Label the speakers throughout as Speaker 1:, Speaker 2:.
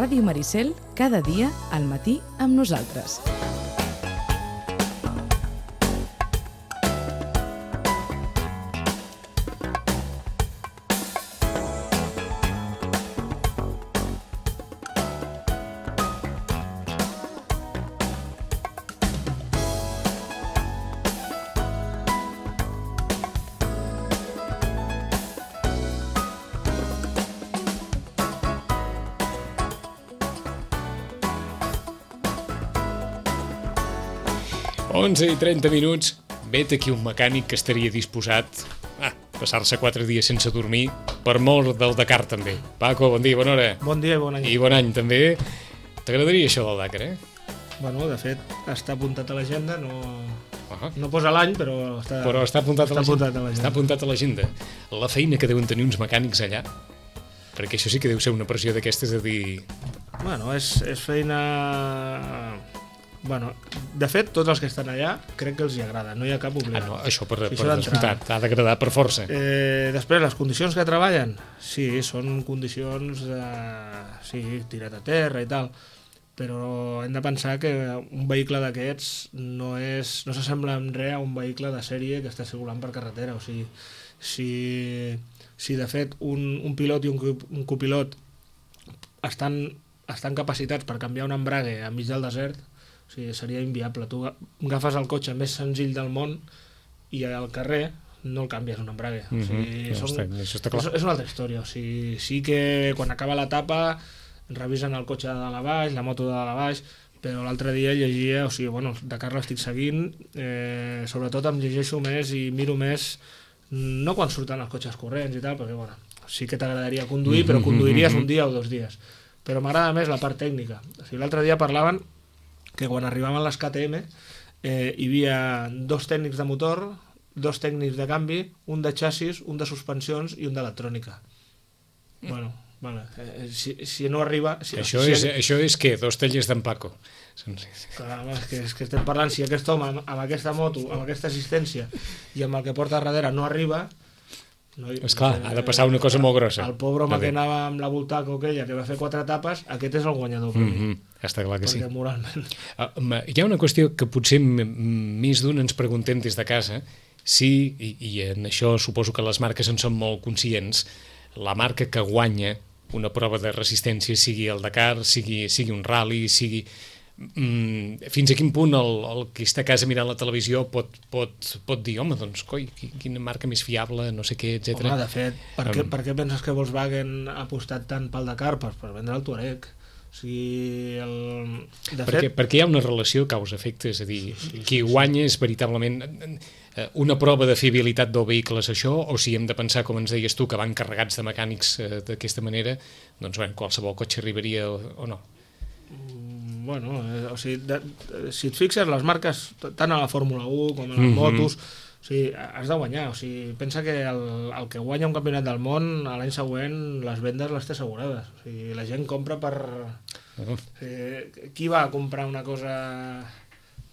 Speaker 1: Ràdio Maricel, cada dia al matí amb nosaltres.
Speaker 2: i 30 minuts, vet aquí un mecànic que estaria disposat a passar-se 4 dies sense dormir per mort del Dakar també. Paco, bon dia, bona hora.
Speaker 3: Bon dia i bon any.
Speaker 2: I bon any també. T'agradaria això del Dakar,
Speaker 3: Bueno, de fet, està apuntat a l'agenda, no posa l'any, però
Speaker 2: està apuntat a l'agenda. Està apuntat a l'agenda. La feina que deuen tenir uns mecànics allà, perquè això sí que deu ser una pressió d'aquestes de dir...
Speaker 3: Bueno, és feina... Bueno, de fet, tots els que estan allà crec que els hi agrada, no hi ha cap obligat.
Speaker 2: No, això per descomptat, ha d'agradar per força.
Speaker 3: Després, les condicions que treballen, sí, són condicions tirat a terra i tal, però hem de pensar que un vehicle d'aquests no s'assembla en res a un vehicle de sèrie que està circulant per carretera. O sigui, si de fet un pilot i un copilot estan capacitats per canviar un embrague enmig del desert, o sigui, seria inviable. Tu agafes el cotxe més senzill del món i al carrer no el canvies un embrague. O sigui,
Speaker 2: això està clar.
Speaker 3: És una altra història. O sigui, sí que quan acaba l'etapa revisen el cotxe de dalt a baix, la moto de dalt a baix, però l'altre dia llegia, o sigui, bueno, Dakar l'estic seguint, sobretot em llegeixo més i miro més, no quan surten els cotxes corrents i tal, perquè bueno, sí que t'agradaria conduir, però conduiries un dia o 2 dies. Però m'agrada més la part tècnica. O sigui, l'altre dia parlaven que quan arribaven les KTM hi havia 2 tècnics de motor, 2 tècnics de canvi, un de xassis, un de suspensions i un d'electrònica. Bueno, si no arriba...
Speaker 2: Això és què? 2 tallers d'en Paco.
Speaker 3: Clar, és que estem parlant, si aquest home amb aquesta moto, amb aquesta assistència i amb el que porta darrere no arriba...
Speaker 2: Esclar, ha de passar una cosa molt grossa.
Speaker 3: El pobre home que anava amb la Bultaco aquella, que va fer 4 etapes, aquest és el guanyador per mi.
Speaker 2: Està clar que sí.
Speaker 3: Perquè moralment...
Speaker 2: Hi ha una qüestió que potser més d'un ens preguntem des de casa, si, i en això suposo que les marques en són molt conscients, la marca que guanya una prova de resistència, sigui el Dakar, sigui un rally, sigui... fins a quin punt el que està a casa mirant la televisió pot dir, home, doncs, coi, quina marca més fiable, no sé què, etc.
Speaker 3: Home, de fet, per què penses que Volkswagen ha apostat tant pel Dakar? Per vendre el Touareg. O sigui,
Speaker 2: perquè hi ha una relació causa-efecte, és a dir, qui guanya és veritablement una prova de fiabilitat del vehicle, és això, o si hem de pensar, com ens deies tu, que van carregats de mecànics d'aquesta manera, doncs qualsevol cotxe arribaria o no?
Speaker 3: Bueno, o sigui, si et fixes, les marques, tant a la Fórmula 1 com a les motos, o sigui, has de guanyar. O sigui, pensa que el que guanya un campionat del món, l'any següent les vendes les té assegurades. O sigui, la gent compra per... O sigui, qui va a comprar una cosa...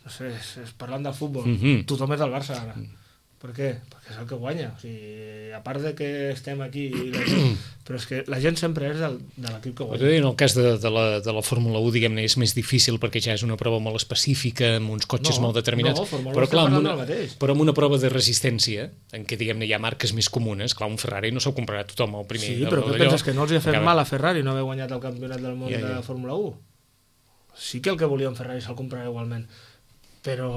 Speaker 3: No sé, parlant del futbol, tothom és del Barça ara. Per què? Perquè és el que guanya. O sigui, a part de que estem aquí, però és que la gent sempre és de l'equip que guanya.
Speaker 2: En el cas de la Fórmula 1, diguem-ne, és més difícil perquè ja és una prova molt específica, amb uns cotxes molt determinats.
Speaker 3: Però clar,
Speaker 2: amb una prova de resistència, en què, diguem-ne, hi ha marques més comunes, clar, un Ferrari no se'l comprarà tothom al primer.
Speaker 3: Sí, però què penses, que no els hi ha fet mal a Ferrari no haver guanyat el campionat del món de Fórmula 1? Sí que el que volia un Ferrari se'l comprarà igualment. Però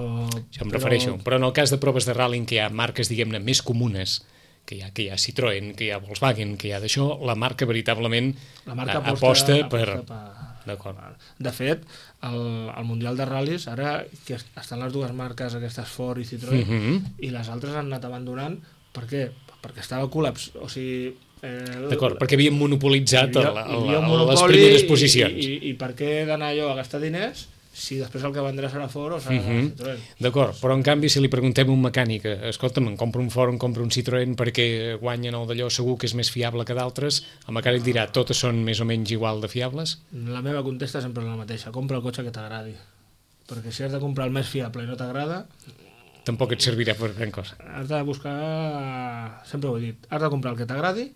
Speaker 2: em refereixo. Però en el cas de proves de rally en què hi ha marques, diguem-ne, més comunes, que hi ha Citroën, que hi ha Volkswagen, que hi ha d'això, la marca veritablement aposta per... D'acord.
Speaker 3: De fet, el Mundial de Ral·lis, ara que estan les 2 marques, aquestes Ford i Citroën, i les altres han anat abandonant. Per què? Perquè estava col·laps. O sigui...
Speaker 2: D'acord, perquè havien monopolitzat les primeres posicions.
Speaker 3: I per què d'anar jo a gastar diners si després el que vendrà serà Ford o serà Citroën?
Speaker 2: D'acord, però en canvi si li preguntem a un mecànic, escolta'm, em compro un Ford, em compro un Citroën perquè guanyen el d'allò segur que és més fiable que d'altres, el mecànic dirà, totes són més o menys igual de fiables?
Speaker 3: La meva contesta sempre és la mateixa, compra el cotxe que t'agradi, perquè si has de comprar el més fiable i no t'agrada...
Speaker 2: Tampoc et servirà per gran cosa.
Speaker 3: Has de buscar, sempre ho he dit, has de comprar el que t'agradi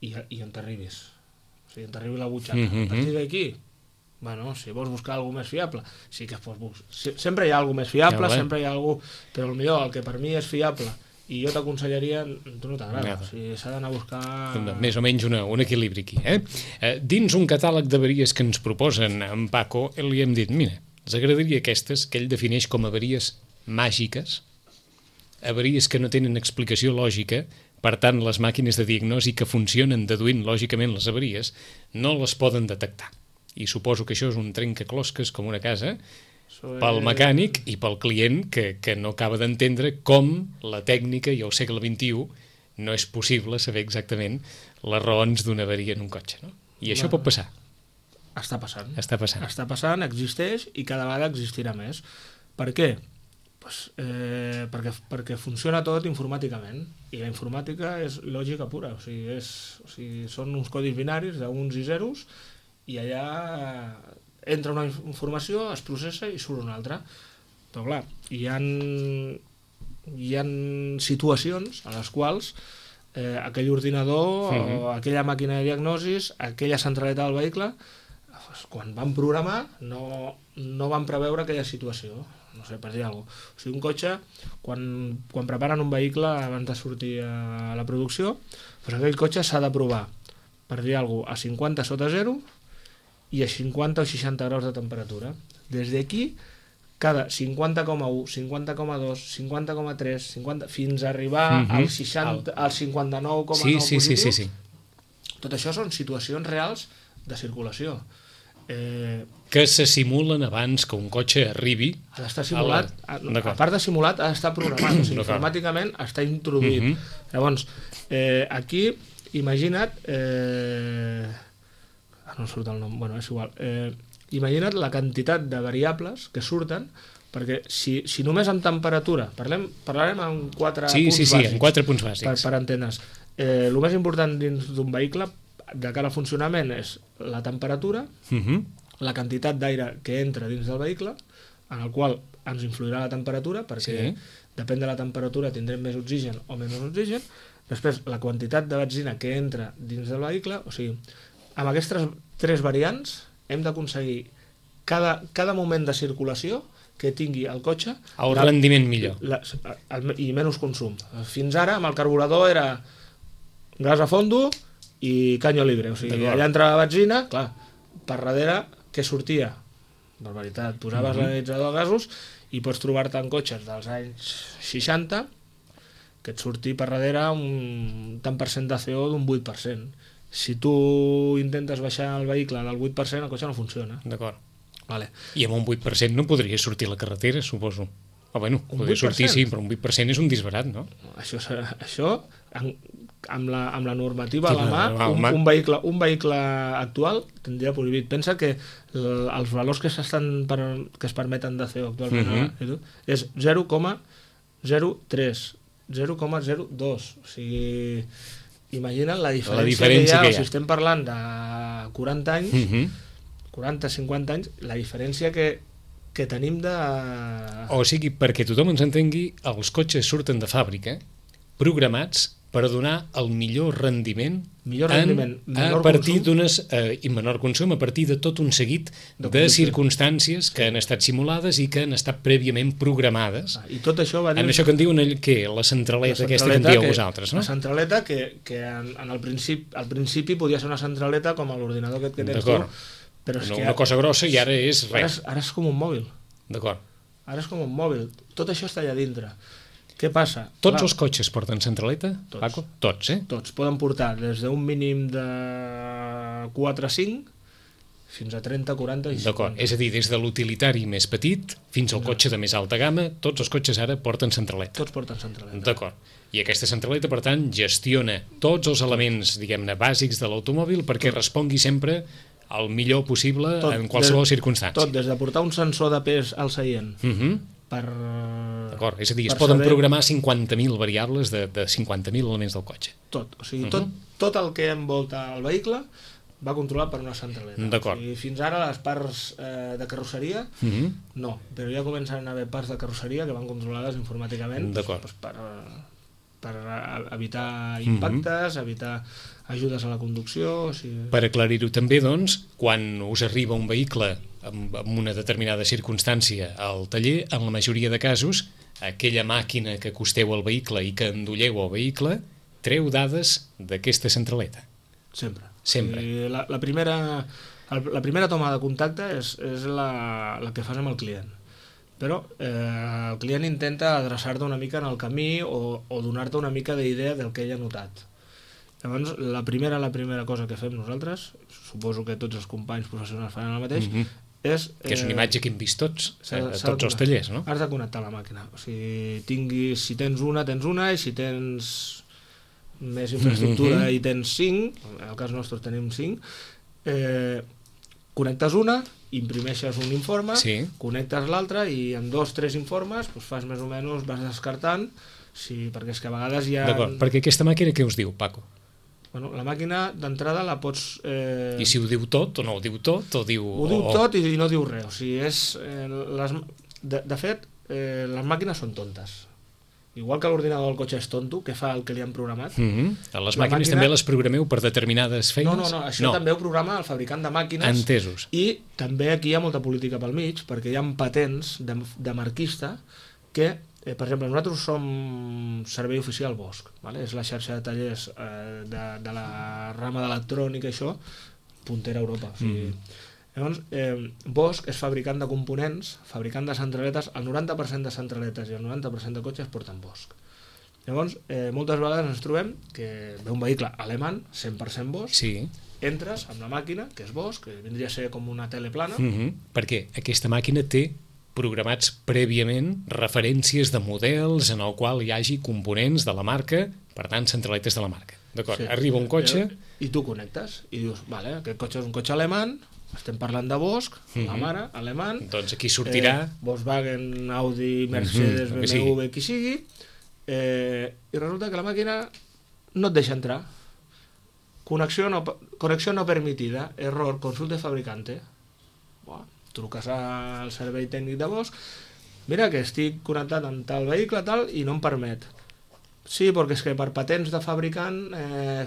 Speaker 3: i on t'arribis. O sigui, on t'arribi la butxaca. A partir d'aquí, Bueno, si vols buscar alguna més fiable, sí que es pot buscar. Sempre hi ha alguna més fiable, sempre hi ha algú... Però el que per mi és fiable i jo t'aconsellaria, tu no t'agrada. O sigui, s'ha d'anar a buscar...
Speaker 2: Més o menys un equilibri aquí. Dins un catàleg d'avaries que ens proposen en Paco, li hem dit, mira, ens agradaria aquestes que ell defineix com avaries màgiques, avaries que no tenen explicació lògica. Per tant, les màquines de diagnosi que funcionen deduint lògicament les avaries no les poden detectar. I suposo que això és un trencaclosques com una casa pel mecànic i pel client que no acaba d'entendre com la tècnica i al segle XXI no és possible saber exactament les raons d'una avaria en un cotxe. No? I això pot passar.
Speaker 3: Està passant.
Speaker 2: Està passant.
Speaker 3: Està passant, existeix i cada vegada existirà més. Per què? Pues, perquè funciona tot informàticament i la informàtica és lògica pura, o sigui, són uns codis binaris d'uns i zeros i allà entra una informació, es processa i surt una altra. Però clar, hi ha situacions a les quals aquell ordinador o aquella màquina de diagnosis, aquella centraleta del vehicle, quan van programar no van preveure aquella situació. No sé, per dir alguna cosa. O sigui, un cotxe, quan preparen un vehicle abans de sortir a la producció, doncs aquell cotxe s'ha de provar, per dir alguna cosa, a 50 sota 0 i a 50 o 60 graus de temperatura. Des d'aquí, cada 50,1, 50,2, 50,3, 50, fins a arribar al 60, al 59,9 positiu.
Speaker 2: Sí.
Speaker 3: Tot això són situacions reals de circulació.
Speaker 2: Que se simulen abans que un cotxe arribi.
Speaker 3: Ha d'estar simulat, a part de simulat, ha d'estar programat, o sigui, informàticament està introduït. Llavors, aquí, imagina't... no surt el nom, bueno, és igual. Imagina't la quantitat de variables que surten, perquè si només en temperatura, parlarem en 4 punts bàsics.
Speaker 2: Sí, en 4 punts bàsics.
Speaker 3: Per entendre's. El més important dins d'un vehicle, de cara al funcionament, és la temperatura, la quantitat d'aire que entra dins del vehicle, en el qual ens influirà la temperatura, perquè depèn de la temperatura tindrem més oxigen o menys oxigen. Després, la quantitat de benzina que entra dins del vehicle, o sigui, amb aquestes 3 variants hem d'aconseguir cada moment de circulació que tingui el cotxe
Speaker 2: el rendiment millor
Speaker 3: i menys consum. Fins ara amb el carburador era gas a fondo i canyo libre, o sigui, allà entrava benzina, clar, per darrere què sortia? Barbaritat, posaves l'analitzador de gasos i pots trobar-te en cotxes dels anys 60 que et surti per darrere un tant per cent de CO d'un 8%. Si tu intentes baixar el vehicle del 8%, el cotxe no funciona.
Speaker 2: D'acord.
Speaker 3: Vale.
Speaker 2: I amb un 8% no podria sortir a la carretera, suposo. Bueno, podria sortir, sí, però un 8% és un disbarat, no?
Speaker 3: Això amb la normativa a la mà, un vehicle actual tindria prohibit. Pensa que els valors que es permeten de CO actualment és 0,03, 0,02. O sigui... Imagina't la diferència que hi ha, si estem parlant de 40 anys, 40-50 anys, la diferència que tenim de...
Speaker 2: O sigui, perquè tothom ens entengui, els cotxes surten de fàbrica programats per donar el millor rendiment a partir d'unes... i menor consum, a partir de tot un seguit de circumstàncies que han estat simulades i que han estat prèviament programades.
Speaker 3: I tot això va dir...
Speaker 2: En això que en diuen la centraleta aquesta que en dieu vosaltres, no?
Speaker 3: La centraleta que al principi podia ser una centraleta com l'ordinador que tens tu, però és que...
Speaker 2: Una cosa grossa i ara és res.
Speaker 3: Ara és com un mòbil.
Speaker 2: D'acord.
Speaker 3: Ara és com un mòbil. Tot això està allà dintre. Què passa?
Speaker 2: Tots els cotxes porten centraleta, Paco? Tots,
Speaker 3: Tots. Poden portar des d'un mínim de 4 a 5 fins a 30, 40 i 50.
Speaker 2: D'acord, és a dir, des de l'utilitari més petit fins al cotxe de més alta gamma, tots els cotxes ara porten centraleta.
Speaker 3: Tots porten centraleta.
Speaker 2: D'acord. I aquesta centraleta, per tant, gestiona tots els elements, diguem-ne, bàsics de l'automòbil perquè respongui sempre el millor possible en qualsevol circumstància.
Speaker 3: Tot, des de portar un sensor de pes al seient
Speaker 2: D'acord, és a dir, es poden programar 50.000 variables de 50.000 elements del cotxe.
Speaker 3: Tot, o sigui, tot el que envolta el vehicle va controlat per una centraleta.
Speaker 2: D'acord.
Speaker 3: O sigui, fins ara les parts de carrosseria no, però ja comencen a haver parts de carrosseria que van controlades informàticament per evitar impactes, evitar ajudes a la conducció... O sigui...
Speaker 2: Per aclarir-ho també, doncs, quan us arriba un vehicle amb una determinada circumstància al taller, en la majoria de casos, aquella màquina que acosteu al vehicle i que endolleu al vehicle treu dades d'aquesta centraleta.
Speaker 3: Sempre.
Speaker 2: Sempre.
Speaker 3: La primera toma de contacte és la que fas amb el client. Però el client intenta adreçar-te una mica en el camí o donar-te una mica d'idea del que ell ha notat. Llavors, la primera cosa que fem nosaltres, suposo que tots els companys professionals fan el mateix, és...
Speaker 2: Que és una imatge que hem vist tots, a tots els tallers, no?
Speaker 3: Has de connectar la màquina. O sigui, si tens una, i si tens més infraestructura i tens 5, en el cas nostre tenim 5, connectes una, imprimeixes un informe, connectes l'altre i en 2-3 informes fas més o menys, vas descartant, perquè és que a vegades hi ha...
Speaker 2: D'acord, perquè aquesta màquina què us diu, Paco?
Speaker 3: Bueno, la màquina d'entrada la pots...
Speaker 2: I si ho diu tot o no ho diu tot? Ho diu
Speaker 3: tot i no diu res. O sigui, de fet, les màquines són tontes. Igual que l'ordinador del cotxe és tonto, que fa el que li han programat.
Speaker 2: Les màquines també les programeu per determinades feines?
Speaker 3: No, això també ho programa el fabricant de màquines.
Speaker 2: Entesos.
Speaker 3: I també aquí hi ha molta política pel mig, perquè hi ha patents de marquista que, per exemple, nosaltres som servei oficial Bosch, és la xarxa de tallers de la rama d'electrònica, això, puntera a Europa. Llavors, Bosch és fabricant de components, fabricant de centraletes, el 90% de centraletes i el 90% de cotxes porten Bosch. Llavors, moltes vegades ens trobem que ve un vehicle alemany, 100% Bosch, entres amb la màquina, que és Bosch, que vindria a ser com una tele plana.
Speaker 2: Perquè aquesta màquina té programats prèviament referències de models en el qual hi hagi components de la marca, per tant, centraletes de la marca. D'acord, arriba un cotxe...
Speaker 3: I tu connectes i dius, vale, aquest cotxe és un cotxe alemany, estem parlant de Bosch, la mare, alemany...
Speaker 2: Doncs aquí sortirà...
Speaker 3: Volkswagen, Audi, Mercedes, BMW, qui sigui, i resulta que la màquina no et deixa entrar. Connexió no permitida, error, consulte fabricante. Truques al servei tècnic de Bosch, mira que estic connectat amb tal vehicle i no em permet. Sí, perquè és que per patents de fabricant,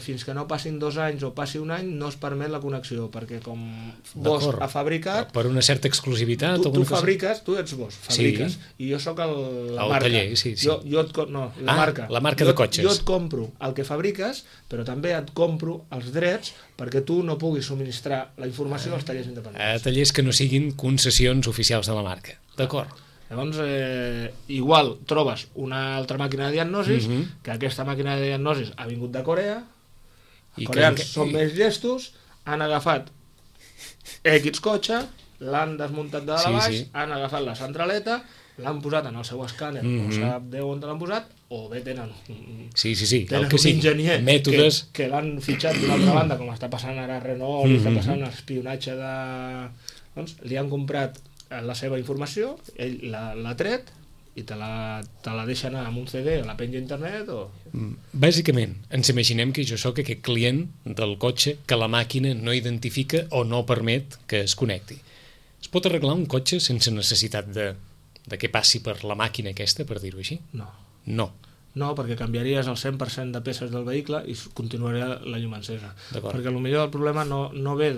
Speaker 3: fins que no passin 2 anys o passi 1 any, no es permet la connexió, perquè com Bosch ha fabricat...
Speaker 2: Per una certa exclusivitat...
Speaker 3: Tu fabriques, tu ets Bosch, fabriques, i jo sóc la marca.
Speaker 2: El taller,
Speaker 3: la marca.
Speaker 2: La marca de cotxes.
Speaker 3: Jo et compro el que fabriques, però també et compro els drets perquè tu no puguis subministrar la informació als tallers independents.
Speaker 2: A tallers que no siguin concessions oficials de la marca. D'acord.
Speaker 3: Llavors, igual trobes una altra màquina de diagnosis, que aquesta màquina de diagnosis ha vingut de Corea, els coreans són més llestos, han agafat X cotxe, l'han desmuntat de dalt a baix, han agafat la centraleta, l'han posat en el seu escàner, no sap Déu on l'han posat, o bé tenen un enginyer que l'han fitxat d'una altra banda, com està passant ara a Renault, està passant l'espionatge de... Doncs li han comprat la seva informació, ell l'ha tret i te la deixa anar amb un CD o la penja a internet o...
Speaker 2: Bàsicament, ens imaginem que jo sóc aquest client del cotxe que la màquina no identifica o no permet que es connecti. Es pot arreglar un cotxe sense necessitat de que passi per la màquina aquesta, per dir-ho així?
Speaker 3: No, perquè canviaries el 100% de peces del vehicle i continuaria la llum encesa. Perquè potser el problema no ve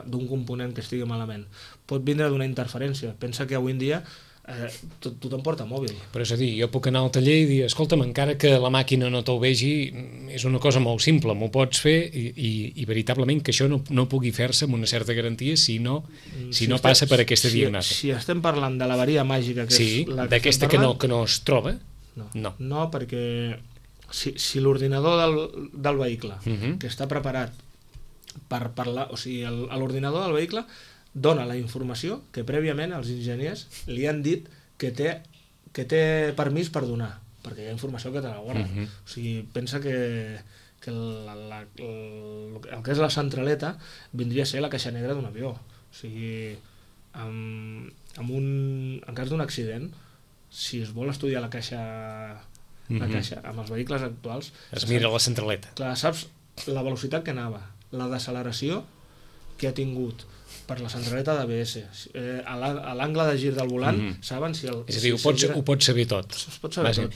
Speaker 3: d'un component que estigui malament. Pot vindre d'una interferència. Pensa que avui en dia tothom porta mòbil.
Speaker 2: Però és a dir, jo puc anar al taller i dir, escolta'm, encara que la màquina no te'l vegi, és una cosa molt simple, m'ho pots fer i veritablement que això no pugui fer-se amb una certa garantia si no passa per aquesta diagnosi.
Speaker 3: Si estem parlant de l'avaria màgica que és la que
Speaker 2: d'aquesta que no es troba,
Speaker 3: no, perquè si l'ordinador del vehicle que està preparat per parlar, o sigui, l'ordinador del vehicle dona la informació que prèviament els enginyers li han dit que té permís per donar, perquè hi ha informació que te la guarda. O sigui, pensa que el que és la centraleta vindria a ser la caixa negra d'un avió. O sigui, en cas d'un accident, si es vol estudiar la caixa amb els vehicles actuals,
Speaker 2: es mira la centraleta.
Speaker 3: Clar, saps la velocitat que anava, la deceleració que ha tingut, per la centraleta d'ABS. A l'angle de gir del volant saben si el...
Speaker 2: És a dir, ho pots saber tot.
Speaker 3: Es pot saber tot.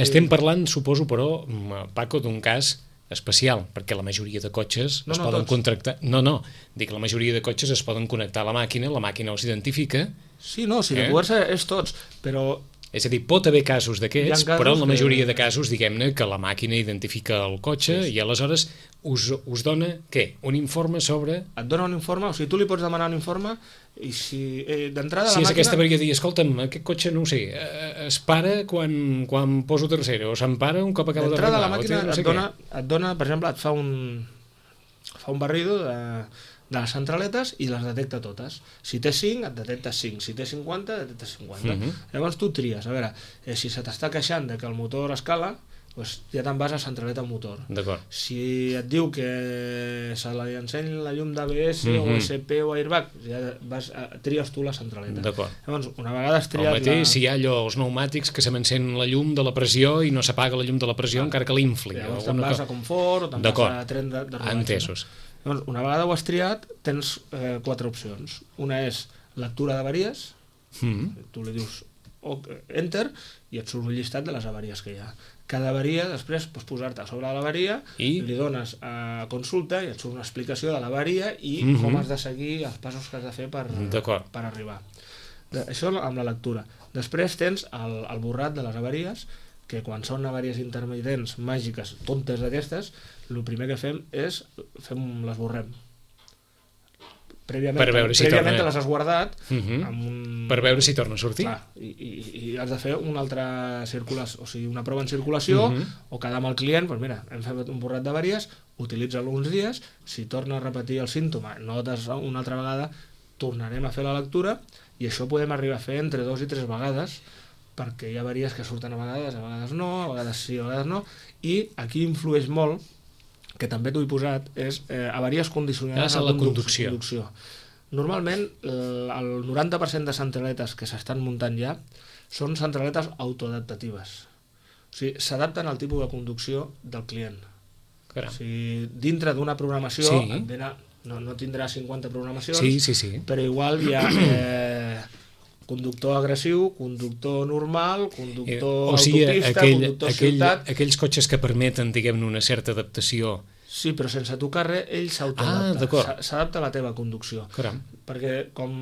Speaker 2: Estem parlant, suposo, però, Paco, d'un cas especial, perquè la majoria de cotxes es poden contractar... No, dic, la majoria de cotxes es poden connectar a la màquina els identifica...
Speaker 3: Sí, no, si de poder-se és tots, però...
Speaker 2: És a dir, pot haver casos d'aquests, però en la majoria de casos, diguem-ne, que la màquina identifica el cotxe i aleshores us dona, què? Un informe sobre...
Speaker 3: Et dona un informe, o sigui, tu li pots demanar un informe i si d'entrada
Speaker 2: si és aquesta avaria de dir, escolta'm, aquest cotxe, no ho sé, es para quan poso tercera o s'empara un cop acaba
Speaker 3: d'arribar.
Speaker 2: D'entrada
Speaker 3: la màquina et dona, per exemple, et fa un barrido de les centraletes i les detecta totes. Si té 5, et detecta 5. Si té 50, et detecta 50. Llavors tu tries. A veure, si se t'està queixant de que el motor escala, doncs ja te'n vas a centraleta motor.
Speaker 2: D'acord.
Speaker 3: Si et diu que se li enseny la llum d'ABS o ESP o airbag, ja tries tu la centraleta.
Speaker 2: D'acord.
Speaker 3: Llavors, una vegada has triat...
Speaker 2: El mateix, si hi ha allò, els pneumàtics, que se m'encén la llum de la pressió i no s'apaga la llum de la pressió encara que l'infli.
Speaker 3: Llavors te'n vas a confort o te'n vas a tren de rodatge.
Speaker 2: Entesos.
Speaker 3: Llavors, una vegada ho has triat, tens 4 opcions. Una és lectura d'avaries, tu li dius enter i et surt un llistat de les avaries que hi ha. Cada avaria, després pots posar-te a sobre de l'avaria, li dones a consulta i et surt una explicació de l'avaria i com has de seguir els passos que has de fer per arribar. Això amb la lectura. Després tens el borrat de les avaries, que quan són avaries intermitents, màgiques, tontes d'aquestes, el primer que fem és les borrem. Prèviament te les has guardat
Speaker 2: per veure si torna a sortir.
Speaker 3: Clar, i has de fer una altra circulació, o sigui, una prova en circulació o quedar amb el client, doncs mira, hem fet un borrat d'avaries, utilitza-lo uns dies, si torna a repetir el símptoma, notes una altra vegada, tornarem a fer la lectura i això podem arribar a fer entre 2 i 3 vegades, perquè hi ha avaries que surten a vegades no, a vegades sí, a vegades no, i aquí influeix molt, que també t'ho he posat, és avaries condicionades
Speaker 2: a la conducció.
Speaker 3: Normalment, el 90% de centraletes que s'estan muntant ja són centraletes autoadaptatives. O sigui, s'adapten al tipus de conducció del client. O sigui, dintre d'una programació, no tindrà 50 programacions, però igual hi ha... conductor agressiu, conductor normal, conductor autopista, conductor ciutat...
Speaker 2: Aquells cotxes que permeten, diguem-ne, una certa adaptació.
Speaker 3: Sí, però sense tocar res, ell s'autoadapta. S'adapta a la teva conducció. Perquè com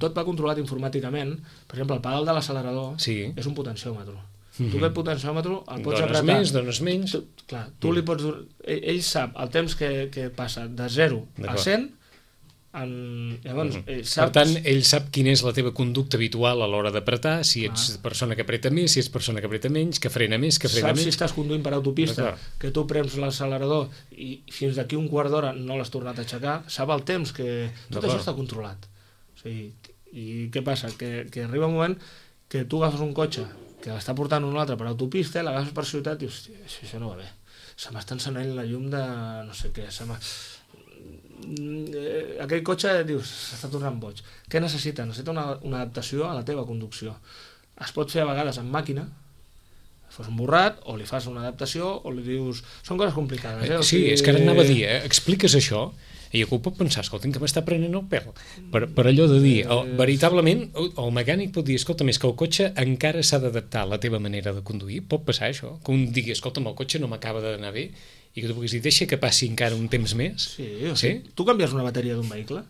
Speaker 3: tot va controlat informàticament, per exemple, el pedal de l'accelerador és un potenciòmetre. Tu aquest potenciòmetre el pots apretar...
Speaker 2: Dones menys...
Speaker 3: Clar, tu li pots... Ell sap el temps que passa de 0 a 100.
Speaker 2: Per tant, ell sap quina és la teva conducta habitual a l'hora d'apretar, si ets persona que apreta més, si ets persona que apreta menys, que frena més, que frena menys.
Speaker 3: Saps si estàs conduint per autopista, que tu prems l'accelerador i fins d'aquí un quart d'hora no l'has tornat a aixecar, sap el temps que... Tot això està controlat. I què passa? Que arriba un moment que tu agafes un cotxe que l'està portant un altre per autopista, l'agafes per ciutat i dius, hòstia, això no va bé. Se m'està encenent la llum de no sé què, aquell cotxe, dius, s'està tornant boig. Què necessita? Necessita una adaptació a la teva conducció. Es pot fer a vegades amb màquina, fas un borrat, o li fas una adaptació, o li dius... Són coses complicades,
Speaker 2: Sí, és que ara anava a dir, expliques això, i algú pot pensar, escolta, que m'està prenent el pèl. Per allò de dir, veritablement, el mecànic pot dir, escolta, més que el cotxe encara s'ha d'adaptar a la teva manera de conduir. Pot passar això? Que un digui, escolta, el cotxe no m'acaba d'anar bé, i que tu puguis dir, deixa que passi encara un temps més.
Speaker 3: Sí? Tu canvies una bateria d'un vehicle?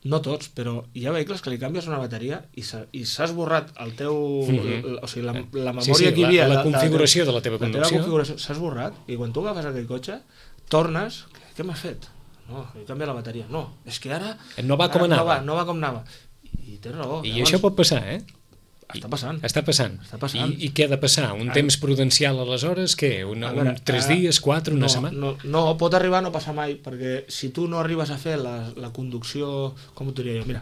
Speaker 3: No tots, però hi ha vehicles que li canvies una bateria i s'ha esborrat el teu... O sigui, la memòria que hi havia...
Speaker 2: La configuració de la teva conducció.
Speaker 3: S'ha esborrat, i quan tu agafes aquell cotxe, tornes... Què m'has fet? No, he canviat la bateria. No, és que ara...
Speaker 2: No va com anava.
Speaker 3: No va com anava. I tens raó.
Speaker 2: I això pot passar,
Speaker 3: Està passant.
Speaker 2: Està passant. I què ha de passar? Un temps prudencial aleshores? Què? 3 dies, 4, una setmana?
Speaker 3: No, pot arribar a no passar mai, perquè si tu no arribes a fer la conducció, com ho diria jo, mira,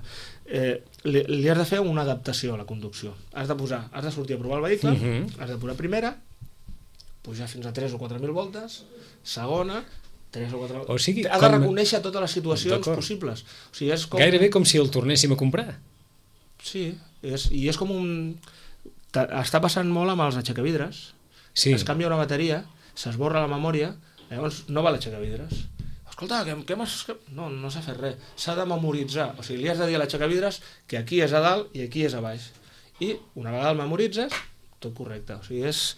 Speaker 3: li has de fer una adaptació a la conducció. Has de sortir a provar el vehicle, has de posar primera, pujar fins a 3 o 4.000 voltes, segona, 3 o 4...
Speaker 2: O sigui,
Speaker 3: ha de reconèixer totes les situacions possibles. O sigui, és com...
Speaker 2: Gairebé com si el tornéssim a comprar.
Speaker 3: Sí, i és com un... Està passant molt amb els aixecavidres. Es canvia una bateria, s'esborra la memòria, llavors no val aixecavidres. escolta, què m'has... No s'ha fet res. S'ha de memoritzar. O sigui, li has de dir a l'aixecavidres que aquí és a dalt i aquí és a baix. I una vegada el memoritzes, tot correcte. O sigui, és...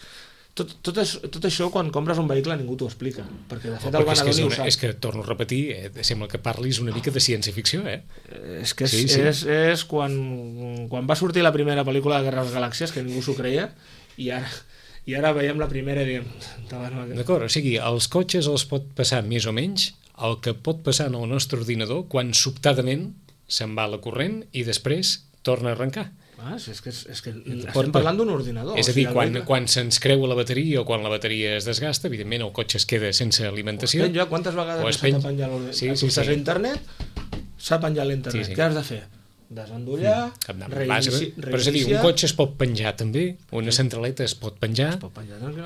Speaker 3: Tot això, quan compres un vehicle, ningú t'ho explica. Perquè, de fet, el venedor ni ho sap.
Speaker 2: És que, torno a repetir, sembla que parlis una mica de ciència-ficció,
Speaker 3: És que és quan va sortir la primera pel·lícula de Guerra de les Galàxies, que ningú s'ho creia, i ara veiem la primera i diem...
Speaker 2: D'acord, o sigui, els cotxes els pot passar més o menys el que pot passar en el nostre ordinador quan sobtadament se'n va la corrent i després torna a arrencar.
Speaker 3: És que estem parlant d'un ordinador.
Speaker 2: És a dir, quan se'ns creua la bateria o quan la bateria es desgasta, evidentment el cotxe es queda sense alimentació.
Speaker 3: Quantes vegades s'ha de penjar l'ordinador? Si estàs a internet, s'ha penjat l'internet. Què has de fer? Desendollar, reiniciar...
Speaker 2: Però és a dir, un cotxe es pot penjar també, una centraleta es pot penjar,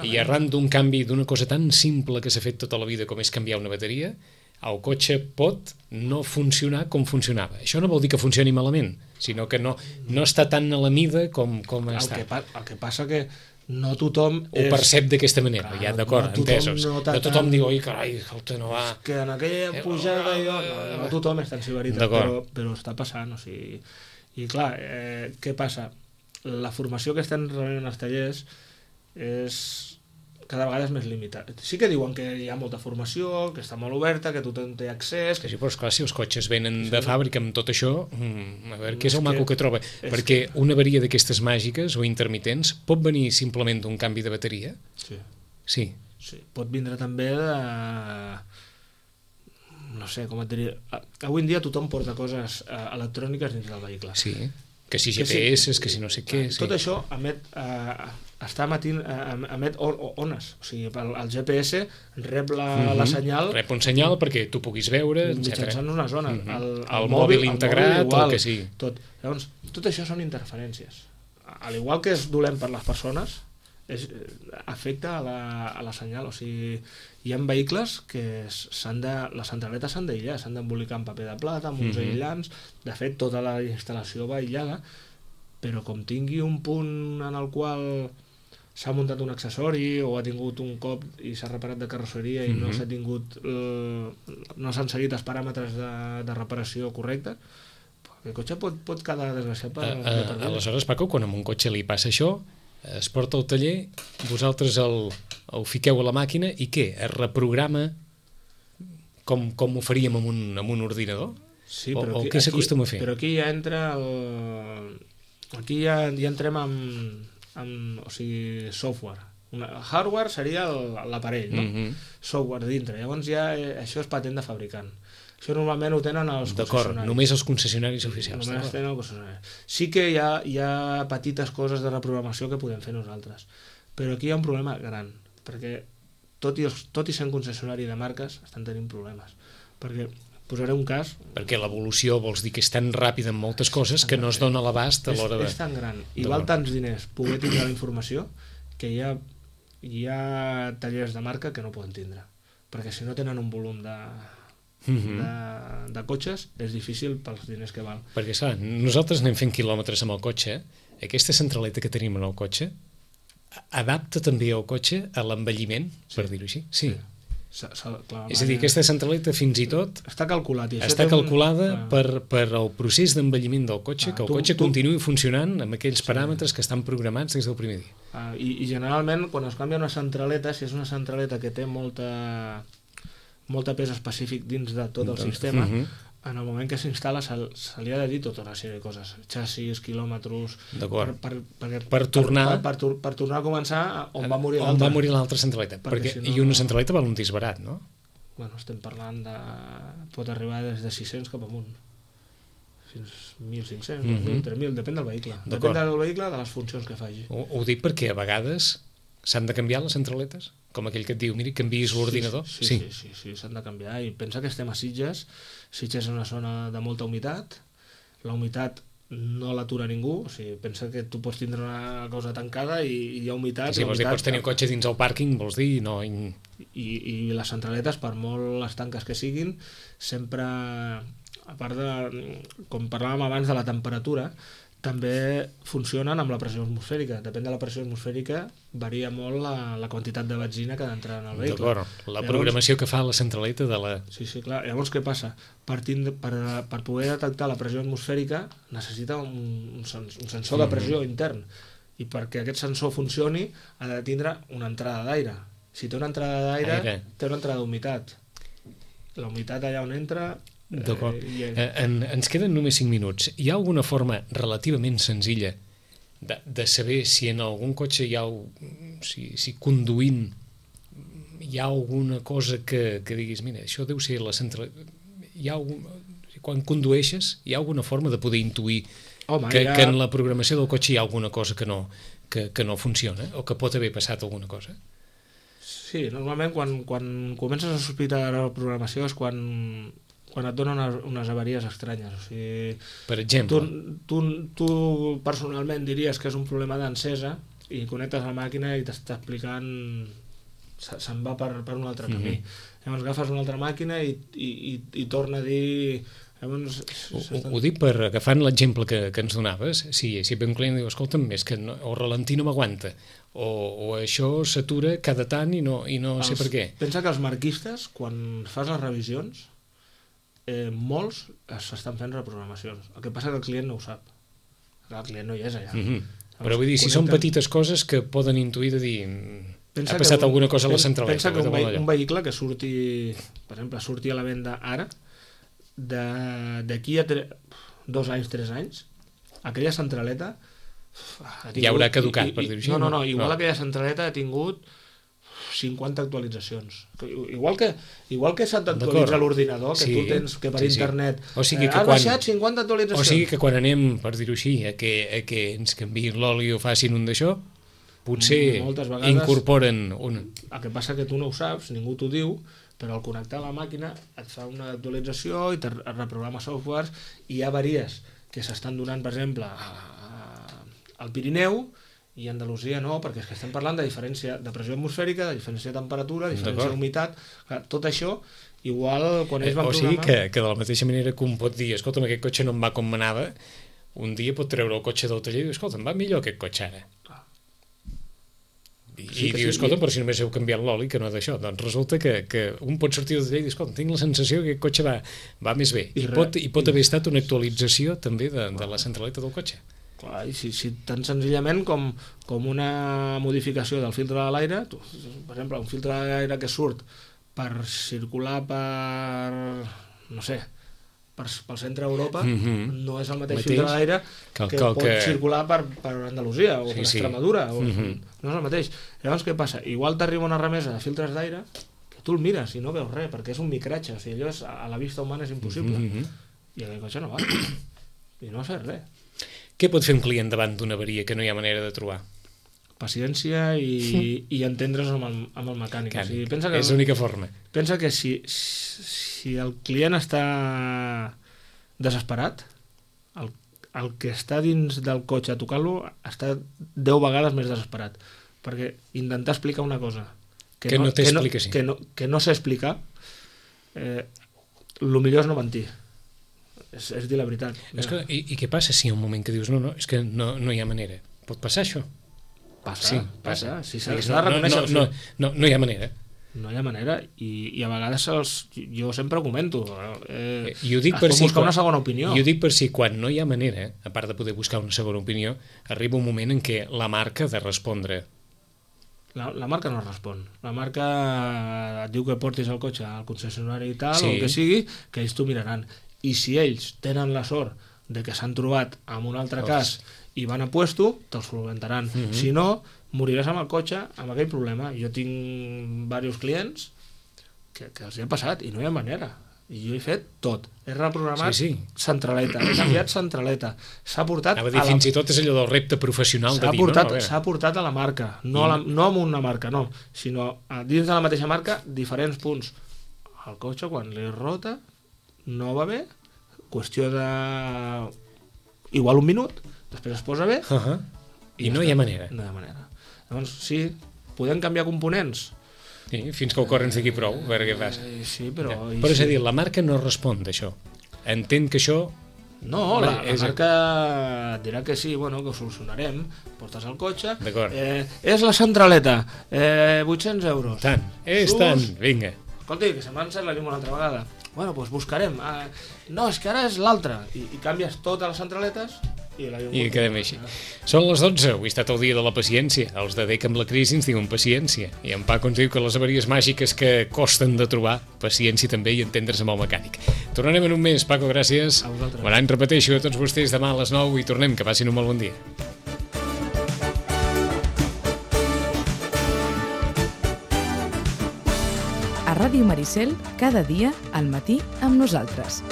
Speaker 2: i arran d'un canvi d'una cosa tan simple que s'ha fet tota la vida com és canviar una bateria, el cotxe pot no funcionar com funcionava. Això no vol dir que funcioni malament, sinó que no està tan a la mida com està.
Speaker 3: El que passa que no tothom
Speaker 2: ho percep d'aquesta manera, ja d'acord, entesos. No tothom diu, oi, carai, no va...
Speaker 3: Que en aquella pujada no tothom és tan ciberita, però està passant, o sigui... I clar, què passa? La formació que estem rebent en els tallers és... cada vegada és més limitat. Sí que diuen que hi ha molta formació, que està molt oberta, que tothom té accés...
Speaker 2: Sí, però esclar, si els cotxes venen de fàbrica amb tot això, a veure què és el maco que troba. Perquè una avaria d'aquestes màgiques o intermitents pot venir simplement d'un canvi de bateria? Sí.
Speaker 3: Pot vindre també de... no sé, com et diria... Avui en dia tothom porta coses electròniques dins del vehicle.
Speaker 2: Sí, que si GPS, que si no sé què...
Speaker 3: Tot això emet ones, o sigui, el GPS rep la senyal...
Speaker 2: Rep un senyal perquè tu puguis veure,
Speaker 3: mitjançant unes ones.
Speaker 2: El mòbil integrat, el que sigui.
Speaker 3: Llavors, tot això són interferències. Al igual que és dolent per les persones, afecta a la senyal. O sigui, hi ha vehicles que les centraletes s'han d'aïllar, s'han d'embolicar amb paper de plata, amb uns aïllants. De fet, tota la instal·lació va aïllada, però com tingui un punt en el qual s'ha muntat un accessori o ha tingut un cop i s'ha reparat de carrosseria i no s'han seguit els paràmetres de reparació correcte, el cotxe pot quedar desgraciat per vida.
Speaker 2: Aleshores, Paco, quan a un cotxe li passa això, es porta al taller, vosaltres el fiqueu a la màquina i què? Es reprograma com ho faríem amb un ordinador?
Speaker 3: Sí,
Speaker 2: o què s'acostuma a fer?
Speaker 3: Però aquí ja entra aquí ja entrem o sigui, software. Hardware seria l'aparell, no? Software dintre. Llavors ja això és patent de fabricant. Això normalment ho tenen els concessionaris.
Speaker 2: D'acord, només els concessionaris oficials.
Speaker 3: Només tenen els concessionaris. Sí que hi ha petites coses de reprogramació que podem fer nosaltres, però aquí hi ha un problema gran, perquè tot i ser un concessionari de marques estan tenint problemes, perquè posaré un cas...
Speaker 2: Perquè l'evolució vols dir que és tan ràpida en moltes coses que no es dona l'abast a l'hora de...
Speaker 3: És tan gran i val tants diners poder tindre la informació que hi ha tallers de marca que no poden tindre, perquè si no tenen un volum de cotxes és difícil pels diners que val.
Speaker 2: Perquè, clar, nosaltres anem fent quilòmetres amb el cotxe, aquesta centraleta que tenim en el cotxe adapta també el cotxe a l'envelliment, per dir-ho així. Sí. És a dir, aquesta centraleta fins i tot
Speaker 3: està calculat.
Speaker 2: Està calculada per el procés d'envelliment del cotxe, que el cotxe continuï funcionant amb aquells paràmetres que estan programats des del primer dia.
Speaker 3: I generalment, quan es canvia una centraleta, si és una centraleta que té molta pes específic dins de tot el sistema, en el moment que s'instal·la se li ha de dir tota una sèrie de coses, xassis, quilòmetres,
Speaker 2: per tornar
Speaker 3: a començar on va morir l'altra.
Speaker 2: On va morir l'altra centraleta. I una centraleta val un disbarat, no?
Speaker 3: Bueno, estem parlant pot arribar des de 600 cap amunt. Fins 1.500, 2.000, 3.000, depèn del vehicle. Depèn del vehicle, de les funcions que faci.
Speaker 2: Ho dic perquè a vegades s'han de canviar les centraletes? Com aquell que et diu, miri, canviïs l'ordinador?
Speaker 3: Sí, s'han de canviar. I pensa que estem a Sitges. Sitges és una zona de molta humitat. La humitat no l'atura ningú. O sigui, pensa que tu pots tindre una cosa tancada i hi ha humitat.
Speaker 2: Sí, vols dir, pots tenir un cotxe dins el pàrquing, vols dir? No.
Speaker 3: I les centraletes, per molt estanques que siguin, sempre, a part de, com parlàvem abans de la temperatura, també funcionen amb la pressió atmosfèrica. Depèn de la pressió atmosfèrica, varia molt la quantitat de benzina que ha d'entrar en el vehicle.
Speaker 2: D'acord, la programació que fa la centraleta de la...
Speaker 3: Sí, clar. Llavors, què passa? Per poder detectar la pressió atmosfèrica necessita un sensor de pressió intern, i perquè aquest sensor funcioni ha de tindre una entrada d'aire. Si té una entrada d'aire, té una entrada d'humitat. La humitat allà on entra...
Speaker 2: D'acord. Ens queden només 5 minuts. Hi ha alguna forma relativament senzilla de saber si en algun cotxe hi ha... si conduint hi ha alguna cosa que diguis, mira, això deu ser la central... Quan condueixes hi ha alguna forma de poder intuir que en la programació del cotxe hi ha alguna cosa que no funciona o que pot haver passat alguna cosa?
Speaker 3: Sí, normalment quan comences a sospitar de la programació és quan et donen unes avaries estranyes. O sigui,
Speaker 2: per exemple?
Speaker 3: Tu personalment diries que és un problema d'encesa i connectes la màquina i t'està explicant... se'n va per un altre camí. Llavors agafes una altra màquina i torna a dir...
Speaker 2: Ho dic per agafant l'exemple que ens donaves. Si ve un client i diu, escolta'm, és que el ralentí no m'aguanta, o això s'atura cada tant i no sé per què.
Speaker 3: Pensa que els marquistes, quan fas les revisions, molts s'estan fent reprogramacions. El que passa que el client no ho sap. El client no hi és allà.
Speaker 2: Però vull dir, si són petites coses que poden intuir de dir... Ha passat alguna cosa a la centraleta.
Speaker 3: Pensa que un vehicle que surti, per exemple, surti a la venda ara, d'aquí a 2 anys, 3 anys, aquella centraleta
Speaker 2: ja haurà caducat, per dir-ho així.
Speaker 3: No, igual aquella centraleta ha tingut 50 actualitzacions. Igual que s'ha d'actualitzar l'ordinador, que tu tens que per internet ha baixat 50 actualitzacions.
Speaker 2: O sigui que quan anem, per dir-ho així, a que ens canviïn l'oli o facin un d'això, potser incorporen un...
Speaker 3: El que passa que tu no ho saps, ningú t'ho diu, però al connectar la màquina et fa una actualització i et reprograma softwares, i hi ha avaries que s'estan donant, per exemple, al Pirineu, i a Andalusia no, perquè és que estem parlant de diferència de pressió atmosfèrica, de diferència de temperatura, de diferència d'humitat, tot això, igual quan ells van programar...
Speaker 2: O sigui que de la mateixa manera que un pot dir, escolta'm, aquest cotxe no em va com m'anava, un dia pot treure el cotxe del taller i dir, escolta'm, va millor aquest cotxe ara. I diu, escolta, però si només heu canviat l'oli, que no d'això. Doncs resulta que un pot sortir del taller i dir, escolta, tinc la sensació que aquest cotxe va més bé. I pot haver estat una actualització també de la centraleta del cotxe.
Speaker 3: Clar, i si tan senzillament com una modificació del filtre de l'aire, per exemple, un filtre de l'aire que surt per circular no sé, pel centre d'Europa, no és el mateix filtre d'aire que pot circular per Andalusia o per Extremadura, no és el mateix. Llavors què passa? Igual t'arriba una remesa de filtres d'aire que tu el mires i no veus res, perquè és un micratge, o sigui, allò a la vista humana és impossible, i aquest cotxe no va, i no has fet res.
Speaker 2: Què pot fer un client davant d'una avaria que no hi ha manera de trobar?
Speaker 3: Paciència i entendre's amb el mecànic. O sigui,
Speaker 2: és l'única forma.
Speaker 3: Pensa que si el client està desesperat, el que està dins del cotxe tocant-lo està 10 vegades més desesperat, perquè intentar explicar una cosa que no sé explicar, el millor és no mentir, és dir la veritat.
Speaker 2: I què passa si hi ha un moment que dius no, és que no hi ha manera? Pot passar això?
Speaker 3: Passa. Si s'ha de reconèixer...
Speaker 2: No hi ha manera.
Speaker 3: No hi ha manera, i a vegades jo sempre ho comento,
Speaker 2: I ho dic per
Speaker 3: buscar una segona opinió.
Speaker 2: I ho dic per si quan no hi ha manera, a part de poder buscar una segona opinió, arriba un moment en què la marca ha de respondre.
Speaker 3: La marca no respon. La marca et diu que portis el cotxe al concessionari i tal, o el que sigui, que ells t'ho miraran. I si ells tenen la sort de que s'han trobat amb un altre cas i van a puesto, te'ls solventaran. Si no, moriràs amb el cotxe amb aquell problema. Jo tinc diversos clients que els hi ha passat i no hi ha manera. I jo he fet tot. He reprogramat centraleta, he canviat centraleta. S'ha portat...
Speaker 2: Fins i tot és allò del repte professional de dir...
Speaker 3: S'ha portat a la marca, no amb una marca, no, sinó dins de la mateixa marca, diferents punts. El cotxe, quan li rota, no va bé, qüestió de... igual un minut, després es posa bé
Speaker 2: i no hi ha manera.
Speaker 3: No hi ha manera. Llavors, sí, podem canviar components?
Speaker 2: Sí, fins que el cor ens digui prou, a veure què fas.
Speaker 3: Sí, però...
Speaker 2: Però és a dir, la marca no respon d'això. Entén que això
Speaker 3: No, la marca et dirà que sí, bueno, que ho solucionarem, portes el cotxe, és la centraleta, 800 euros.
Speaker 2: Tant, és tant, vinga.
Speaker 3: Escolti, que se m'ha encès la llum una altra vegada. Bueno, doncs buscarem. No, és que ara és l'altra. I canvies totes les centraletes i la llum...
Speaker 2: I quedem així. Són les 12, avui ha estat el dia de la paciència. Els de DEC amb la crisi ens diuen paciència. I en Paco ens diu que les avaries màgiques que costen de trobar, paciència també i entendre's amb el mecànic. Tornarem en un mes, Paco, gràcies.
Speaker 3: A vosaltres.
Speaker 2: Bon any, repeteixo, a tots vostès demà a les 9 i tornem, que passin un molt bon dia.
Speaker 1: A Ràdio Maricel, cada dia, al matí, amb nosaltres.